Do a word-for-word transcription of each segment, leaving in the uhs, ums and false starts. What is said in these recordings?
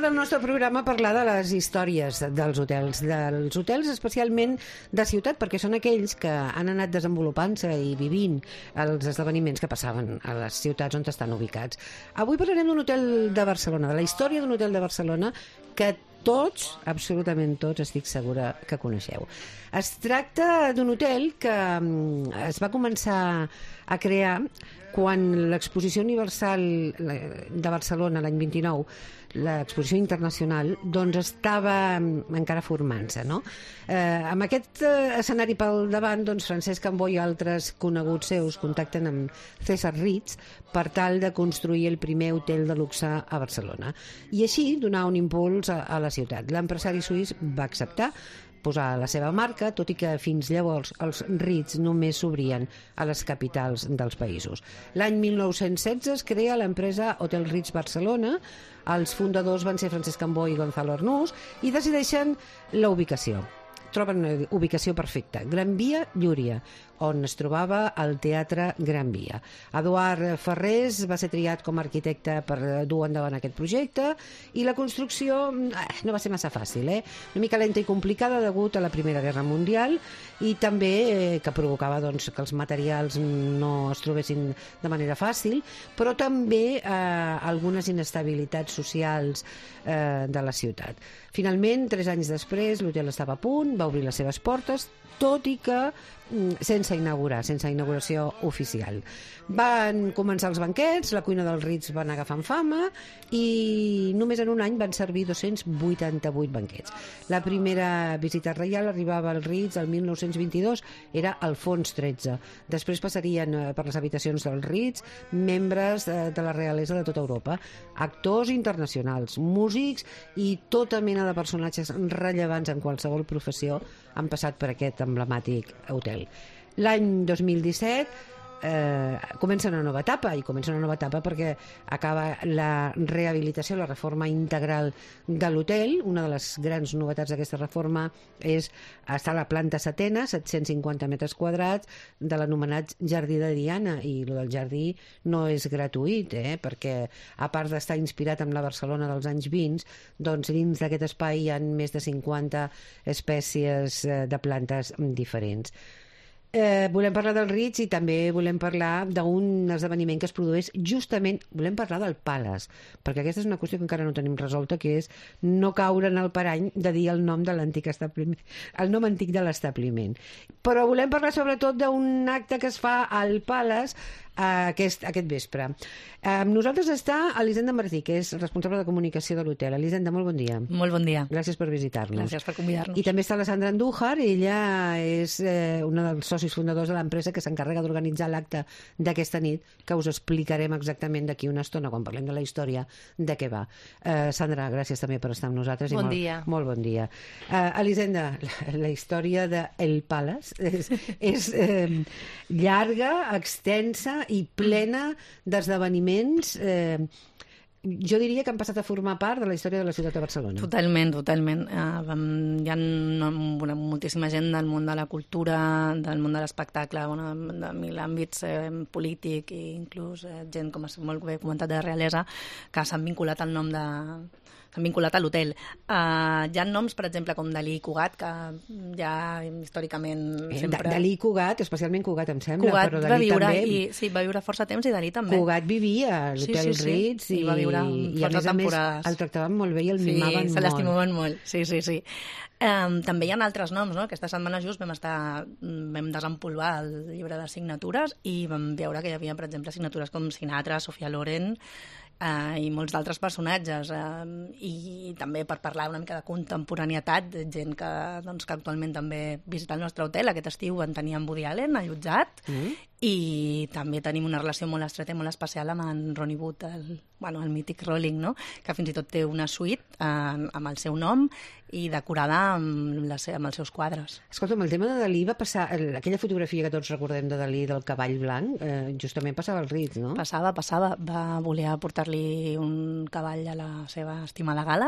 del nostre programa parlar de les històries dels hotels, dels hotels especialment de ciutat, perquè són aquells que han anat desenvolupant-se i vivint els esdeveniments que passaven a les ciutats on estan ubicats. Avui parlarem d'un hotel de Barcelona, de la història d'un hotel de Barcelona que tots, absolutament tots, estic segura que coneixeu. Es tracta d'un hotel que es va començar a crear quan l'Exposició Universal de Barcelona, l'any vint-i-nou, l'exposició internacional, doncs estava encara formant-se, no? Eh, amb aquest eh, escenari pel davant, doncs Francesc Cambó i altres coneguts seus contacten amb César Ritz per tal de construir el primer hotel de luxe a Barcelona. I així donar un impuls a, a la ciutat. L'empresari suís va acceptar posar la seva marca, tot i que fins llavors els Ritz només s'obrien a les capitals dels països. L'any mil nou-cents setze es crea l'empresa Hotel Ritz Barcelona. Els fundadors van ser Francesc Cambó i Gonzalo Arnús i decideixen la ubicació. Troben una ubicació perfecta, Gran Via Llúria, on es trobava el Teatre Gran Via. Eduard Ferrés va ser triat com a arquitecte per dur endavant aquest projecte i la construcció eh, no va ser massa fàcil, eh? Una mica lenta i complicada degut a la Primera Guerra Mundial i també eh, que provocava doncs, que els materials no es trobessin de manera fàcil, però també eh, algunes inestabilitats socials eh, de la ciutat. Finalment, tres anys després, l'hotel estava a punt, va obrir les seves portes, tot i que sense inaugurar, sense inauguració oficial. Van començar els banquets, la cuina del Ritz va anar agafant fama i només en un any van servir dos-cents vuitanta-vuit banquets. La primera visita reial arribava al Ritz el mil nou-cents vint-i-dos, era Alfons tretze. Després passarien per les habitacions del Ritz membres de la realesa de tota Europa, actors internacionals, músics i tota mena de personatges rellevants en qualsevol professió han passat per aquest emblemàtic hotel. L'any dos mil disset eh, comença una nova etapa, i comença una nova etapa perquè acaba la rehabilitació, la reforma integral de l'hotel. Una de les grans novetats d'aquesta reforma és estar a la planta setena, set-cents cinquanta metres quadrats, de l'anomenat Jardí de Diana, i el del jardí no és gratuït, eh? Perquè a part d'estar inspirat en la Barcelona dels anys vint, doncs dins d'aquest espai hi ha més de cinquanta espècies de plantes diferents. Eh, volem parlar del Ritz i també volem parlar d'un esdeveniment que es produeix justament, volem parlar del Palace, perquè aquesta és una qüestió que encara no tenim resolta, que és no caure en el parany de dir el nom de l'antic establiment, el nom antic de l'establiment. Però volem parlar sobretot d'un acte que es fa al Palace aquest, aquest vespre. Amb nosaltres està Elisenda Martí, que és responsable de comunicació de l'hotel. Elisenda, molt bon dia. Molt bon dia. Gràcies per visitar-nos. Gràcies per convidar-nos. I també està la Sandra Andújar, ella és eh, una dels socis fundadors de l'empresa que s'encarrega d'organitzar l'acte d'aquesta nit, que us explicarem exactament d'aquí una estona, quan parlem de la història, de què va. Eh, Sandra, gràcies també per estar amb nosaltres. Bon i molt, dia. Molt bon dia. Eh, Elisenda, la, la història de El Palace és, és eh, llarga, extensa i plena d'esdeveniments eh, jo diria que han passat a formar part de la història de la ciutat de Barcelona. Totalment, totalment. Uh, hi ha una, moltíssima gent del món de la cultura, del món de l'espectacle, bueno, de mil àmbits eh, polític i inclús eh, gent, com has molt bé comentat, de realesa, que s'han vinculat al nom de... s'han vinculat a l'hotel. Uh, hi ha noms, per exemple, com Dalí i Cugat, que ja històricament sempre... Dalí i Cugat, especialment Cugat, em sembla, Cugat però va Dalí viure, també... I, sí, va viure força temps i Dalí també. Cugat vivia a l'hotel sí, sí, sí. Ritz i, I va viure i a més a més el tractaven molt bé i el sí, mimaven molt. Sí, se l'estimaven molt, sí, sí, sí. Um, també hi ha altres noms, no? Aquesta setmana just vam estar, vam desempolvar el llibre de signatures i vam veure que hi havia, per exemple, signatures com Sinatra, Sofia Loren, Uh, i molts d'altres personatges uh, i també per parlar una mica de contemporaneitat, gent que, doncs, que actualment també visita el nostre hotel. Aquest estiu en teníem Woody Allen allotjat mm. i també tenim una relació molt estreta i molt especial amb en Ronnie Wood, el, bueno, el mític Rolling, no? Que fins i tot té una suite uh, amb el seu nom i decorada amb, la, amb els seus quadres. Escolta'm, el tema de Dalí va passar, aquella fotografia que tots recordem de Dalí del cavall blanc, eh, justament passava al Ritz, no? Passava, passava. Va voler aportar-li un cavall a la seva estimada gala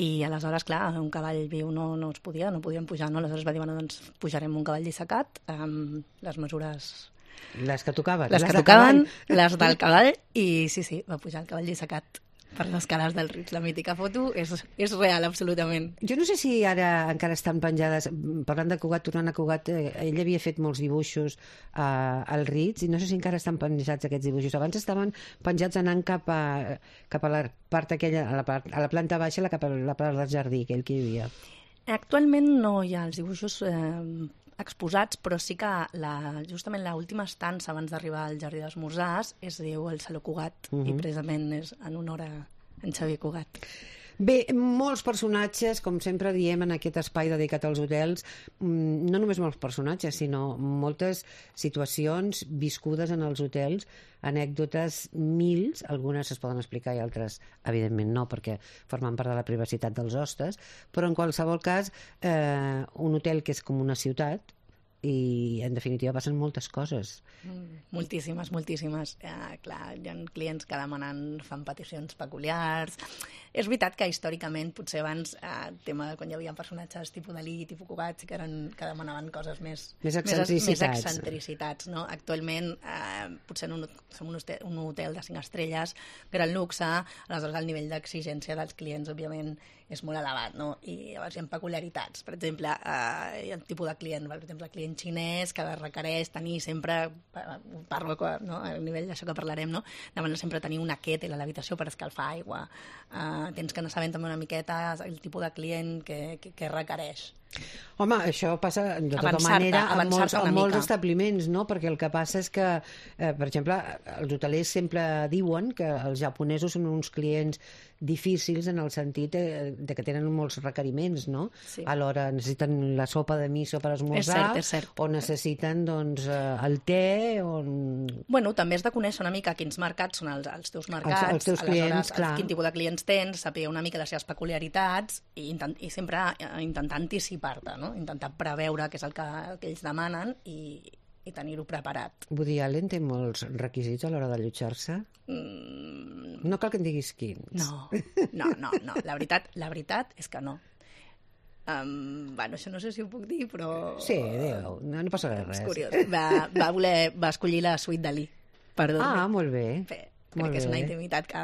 i aleshores, clar, un cavall viu no, no es podia, no podien pujar, no? Aleshores va dir, bueno, doncs pujarem un cavall dissecat amb les mesures... Les que tocaven. Les, les que tocaven, les del cavall, i sí, sí, va pujar el cavall dissecat. Per les cales del Ritz. La mítica foto és, és real, absolutament. Jo no sé si ara encara estan penjades, parlant de Cugat, tornant a Cugat, eh, ell havia fet molts dibuixos eh, al Ritz i no sé si encara estan penjats aquests dibuixos. Abans estaven penjats anant cap a, cap a la part aquella, a la, part, a la planta baixa, la, cap a la part del jardí, aquell que hi havia. Actualment no hi ha els dibuixos eh, exposats, però sí que la, justament l'última estança abans d'arribar al Jardí d'Esmorzars es diu el Saló Cugat, uh-huh. i precisament és en honor a en Xavier Cugat. Bé, molts personatges, com sempre diem en aquest espai dedicat als hotels, no només molts personatges, sinó moltes situacions viscudes en els hotels, anècdotes mils, algunes es poden explicar i altres, evidentment, no, perquè formen part de la privacitat dels hostes, però en qualsevol cas, eh, un hotel que és com una ciutat, i en definitiva passen moltes coses. Mm, moltíssimes, moltíssimes. Eh, clar, hi ha clients que demanen, fan peticions peculiars. És veritat que històricament, potser abans, eh, tema de quan hi havia personatges tipus Dalí, tipus Cugat, sí que, eren, que demanaven coses més... Més excentricitats. Més, més excentricitats, no? Actualment, eh, potser en un, som un hotel, un hotel de cinc estrelles, gran luxe, aleshores el nivell d'exigència dels clients, òbviament, és molt elevat, no? I llavors hi ha peculiaritats. Per exemple, eh, hi ha el tipus de client, per exemple, el client xinès que requereix tenir sempre, parlo no? a nivell d'això que parlarem, no? Demana sempre tenir una kettle a l'habitació per escalfar aigua. Eh, tens que anar sabent també una miqueta el tipus de client que, que, que requereix. Home, això passa de tota manera en molts, en molts establiments, no? Perquè el que passa és que, eh, per exemple, els hotelers sempre diuen que els japonesos són uns clients difícils en el sentit de, de que tenen molts requeriments, no? Sí. Alhora necessiten la sopa de miso per esmorzar, és cert, és cert. o necessiten doncs, el te, o... Bueno, també has de conèixer una mica quins mercats són els, els teus mercats, els, els teus clients, clar. Quin tipus de clients tens, saber una mica les seves peculiaritats i, intent, i sempre intentar anticipar-te, no? Intentar preveure què és el que, el que ells demanen i, i tenir-ho preparat. Woody Allen té molts requisits a l'hora d'allotjar-se? Mm... No cal que em diguis quins. No, no, no, no. La veritat, la veritat és que no. Um, bueno, això no sé si ho puc dir, però... Sí, digue-ho, no, no passa res. És curiós. Va, va, voler, va escollir la suite Dalí. Perdó. Ah, molt bé. Bé. Crec que és una intimitat que,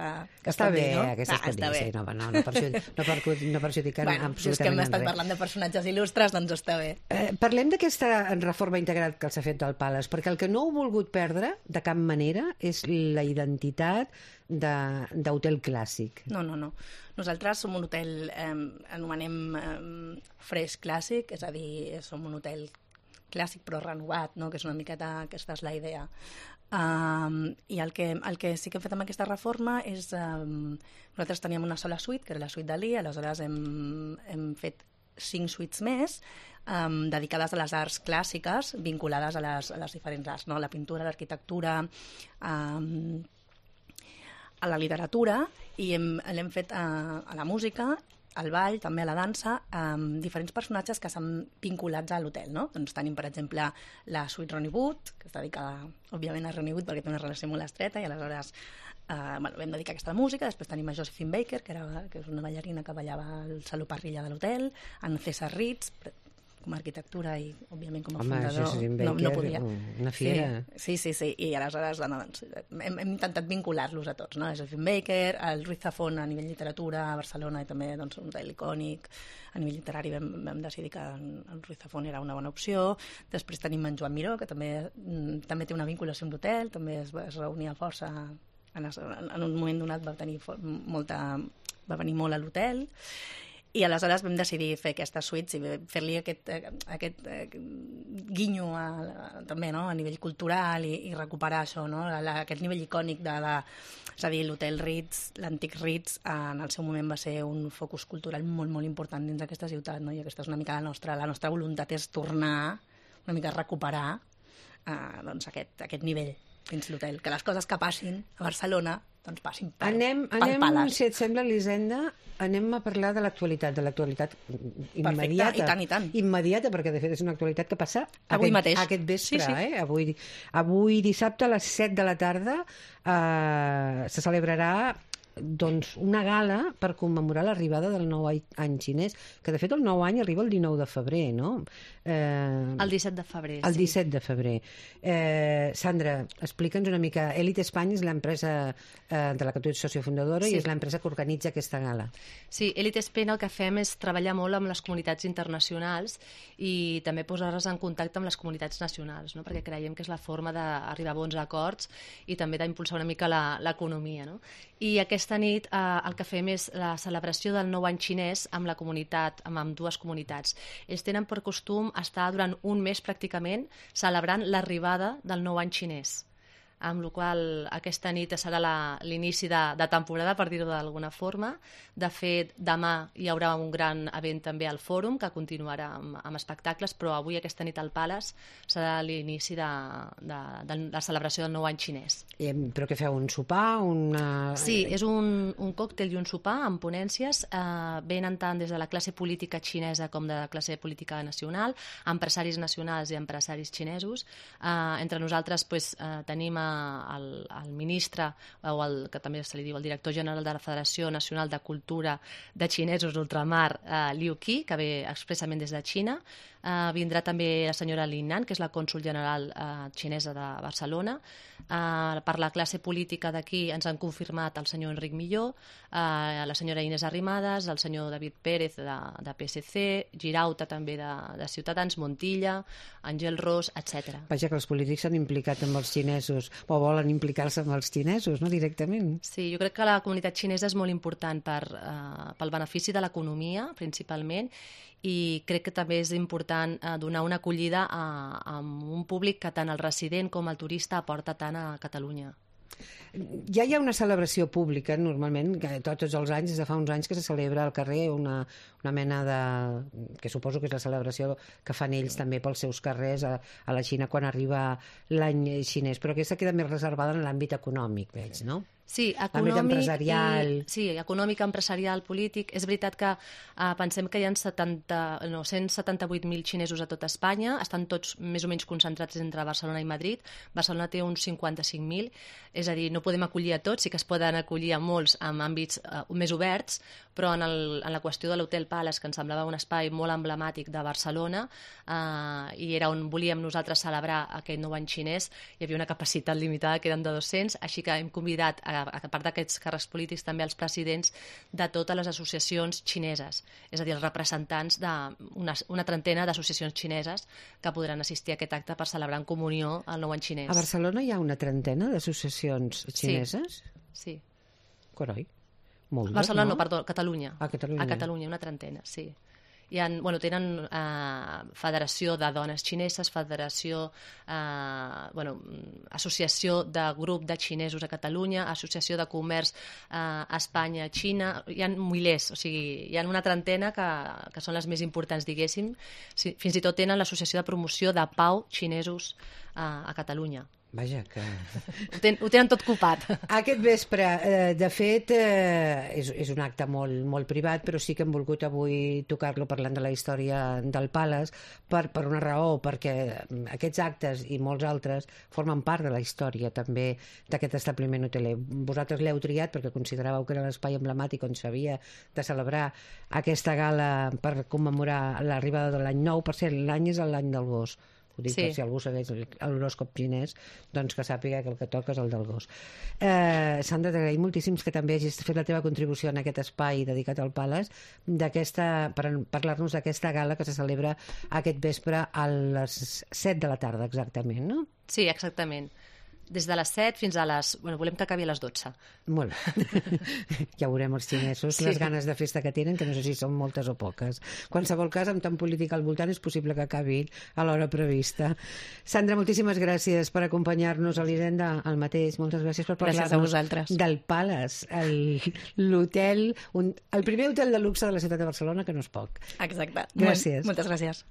que està bé, dir, no? aquesta ah, es pot dir, sí, no, no, no, perjudicar, no, per, no perjudicar bueno, absolutament res. Si és que hem estat parlant de personatges il·lustres, doncs està bé. Eh, parlem d'aquesta reforma integral que s'ha fet del Palace, perquè el que no heu volgut perdre, de cap manera, és la identitat d'hotel clàssic. No, no, no. Nosaltres som un hotel, eh, anomenem eh, fresh clàssic, és a dir, som un hotel clàssic però renovat, no? Que és una miqueta, aquesta és la idea. Um, i el que, el que sí que hem fet amb aquesta reforma és um, nosaltres teníem una sola suite, que era la suite Dalí, aleshores hem, hem fet cinc suites més um, dedicades a les arts clàssiques vinculades a les, a les diferents arts, no? La pintura, l'arquitectura, um, a la literatura, i hem, l'hem fet a, a la música, al ball, també a la dansa, amb diferents personatges que s'han vinculats a l'hotel, no? Doncs tenim, per exemple, la suite Ronnie Wood, que està dedicada, òbviament, a Ronnie Wood perquè té una relació molt estreta, i aleshores eh, bueno, vam dedicar aquesta a la música. Després tenim a Josephine Baker, que, era, que és una ballarina que ballava al Saló Parrilla de l'hotel, en César Ritz, com a arquitectura i, òbviament, com a Home, fundador, Baker, no, no podia. Una fiera. Sí, sí, sí, sí. I aleshores doncs, hem, hem intentat vincular-los a tots, no? Josephine Baker, el Ruiz Zafón a nivell literatura a Barcelona, i també doncs, un hotel icònic. A nivell literari vam, vam decidir que el Ruiz Zafón era una bona opció. Després tenim en Joan Miró, que també, també té una vinculació amb l'hotel, també es, es reunia força, en, en un moment donat va tenir molta, va venir molt a l'hotel. I aleshores vam decidir fer aquestes suites i fer-li aquest, aquest guinyo a, a, també, no? A nivell cultural i, i recuperar això, no? La, aquest nivell icònic de, de és a dir, l'hotel Ritz, l'antic Ritz, en el seu moment va ser un focus cultural molt, molt important dins d'aquesta ciutat, no? I aquesta és una mica la nostra, la nostra voluntat és tornar, una mica recuperar eh, doncs aquest, aquest nivell dins l'hotel, que les coses que passin a Barcelona doncs passin per, anem, per anem, Palace. Si et sembla, Elisenda, anem a parlar de l'actualitat, de l'actualitat immediata. Perfecte, i tant, i tant. Immediata, perquè de fet és una actualitat que passa avui aquest, mateix. Aquest vespre, sí, sí. Eh? Avui, avui dissabte a les set de la tarda eh, se celebrarà doncs, una gala per commemorar l'arribada del nou any xinès, que de fet el nou any arriba el dinou de febrer, no? Eh, el disset de febrer, el sí. El disset de febrer. Eh, Sandra, explica'ns una mica. Elite Espanya és l'empresa eh, de la que tu ets socio fundadora, sí, i és l'empresa que organitza aquesta gala. Sí, Elite Espanya el que fem és treballar molt amb les comunitats internacionals i també posar-les en contacte amb les comunitats nacionals, no? Perquè creiem que és la forma d'arribar a bons acords i també d'impulsar una mica l'economia, no? I aquesta nit eh, el que fem és la celebració del nou any xinès amb la comunitat, amb, amb dues comunitats. Ells tenen per costum estar durant un mes pràcticament celebrant l'arribada del nou any xinès, amb la qual aquesta nit serà l'inici de, de temporada, per dir-ho d'alguna forma. De fet, demà hi haurà un gran event també al Fòrum, que continuarà amb, amb espectacles, però avui, aquesta nit al Palace, serà l'inici de, de, de la celebració del nou any xinès. I, però què feu, un sopar? Una... Sí, és un, un còctel i un sopar amb ponències. Eh, venen tant des de la classe política xinesa com de la classe política nacional, empresaris nacionals i empresaris xinesos. Eh, entre nosaltres pues, eh, tenim El, el ministre, o el que també se li diu el director general de la Federació Nacional de Cultura de Xinesos d'Ultramar, eh, Liu Qi, que ve expressament des de Xina. Eh, vindrà també la senyora Lin Nan, que és la cònsol general eh, xinesa de Barcelona. Eh, per la classe política d'aquí ens han confirmat el senyor Enric Milló, eh, la senyora Inés Arrimadas, el senyor David Pérez de, de P S C, Girauta també de, de Ciutadans, Montilla, Àngel Ros, etcètera. Vaja, que els polítics s'han implicat amb els xinesos, o volen implicar-se amb els xinesos, no, directament. Sí, jo crec que la comunitat xinesa és molt important per, eh, pel benefici de l'economia, principalment, i crec que també és important eh, donar una acollida a, a un públic que tant el resident com el turista aporta tant a Catalunya. Ja hi ha una celebració pública, normalment, que tots els anys, des de fa uns anys, que se celebra al carrer una, una mena de... que suposo que és la celebració que fan ells també pels seus carrers a, a la Xina quan arriba l'any xinès, però aquesta queda més reservada en l'àmbit econòmic, veig, no? Sí, econòmic, empresarial. I, sí, econòmic, empresarial, polític. És veritat que eh, pensem que hi ha setanta, no, cent setanta-vuit mil xinesos a tot Espanya, estan tots més o menys concentrats entre Barcelona i Madrid. Barcelona té uns cinquanta-cinc mil, és a dir, no podem acollir a tots, sí que es poden acollir a molts en àmbits eh, més oberts, però en, el, en la qüestió de l'Hotel Palace, que ens semblava un espai molt emblemàtic de Barcelona, eh, i era on volíem nosaltres celebrar aquest nou any xinès, hi havia una capacitat limitada que eren de dos-cents, així que hem convidat a a part d'aquests càrrecs polítics, també els presidents de totes les associacions xineses, és a dir, els representants d'una una trentena d'associacions xineses que podran assistir a aquest acte per celebrar en comunió el nou any xinès. A Barcelona hi ha una trentena d'associacions xineses? Sí. sí. Coroi. Moltes, Barcelona no? no, perdó, Catalunya. A Catalunya. A Catalunya, una trentena, sí. Hi ha, bueno, tenen eh, Federació de Dones Xineses, Federació, eh, bueno, Associació de Grup de Xinesos a Catalunya, Associació de Comerç eh, Espanya-Xina, hi ha milers, o sigui, hi ha una trentena que, que són les més importants, diguéssim. Sí, fins i tot tenen l'Associació de Promoció de Pau Xinesos eh, a Catalunya. Vaja, que... Ho, ten, ho tenen tot copat. Aquest vespre, eh, de fet, eh, és, és un acte molt, molt privat, però sí que hem volgut avui tocar-lo parlant de la història del Palace per, per una raó, perquè aquests actes i molts altres formen part de la història també d'aquest establiment hoteler. Vosaltres l'heu triat perquè consideràveu que era l'espai emblemàtic on s'havia de celebrar aquesta gala per commemorar l'arribada de l'any nou. Per cert, l'any és l'any del gos. Ho dic sí. Per si algú segueix l'horòscop xinès, doncs que sàpiga que el que toca és el del gos. Eh, Sandra, t'agraïm moltíssims que també hagis fet la teva contribució en aquest espai dedicat al Palace, per parlar-nos d'aquesta gala que se celebra aquest vespre a les set de la tarda, exactament, no? Sí, exactament. Des de les set fins a les... Bueno, volem que acabi a les dotze. Molt bé. Ja veurem els xinesos, sí. Les ganes de festa que tenen, que no sé si són moltes o poques. Qualsevol cas, amb tant política al voltant, és possible que acabi a l'hora prevista. Sandra, moltíssimes gràcies per acompanyar-nos a l'Hisenda, al mateix. Moltes gràcies per parlar-nos del Palace, l'hotel, el primer hotel de luxe de la ciutat de Barcelona, que no és poc. Exacte. Gràcies. Moltes gràcies.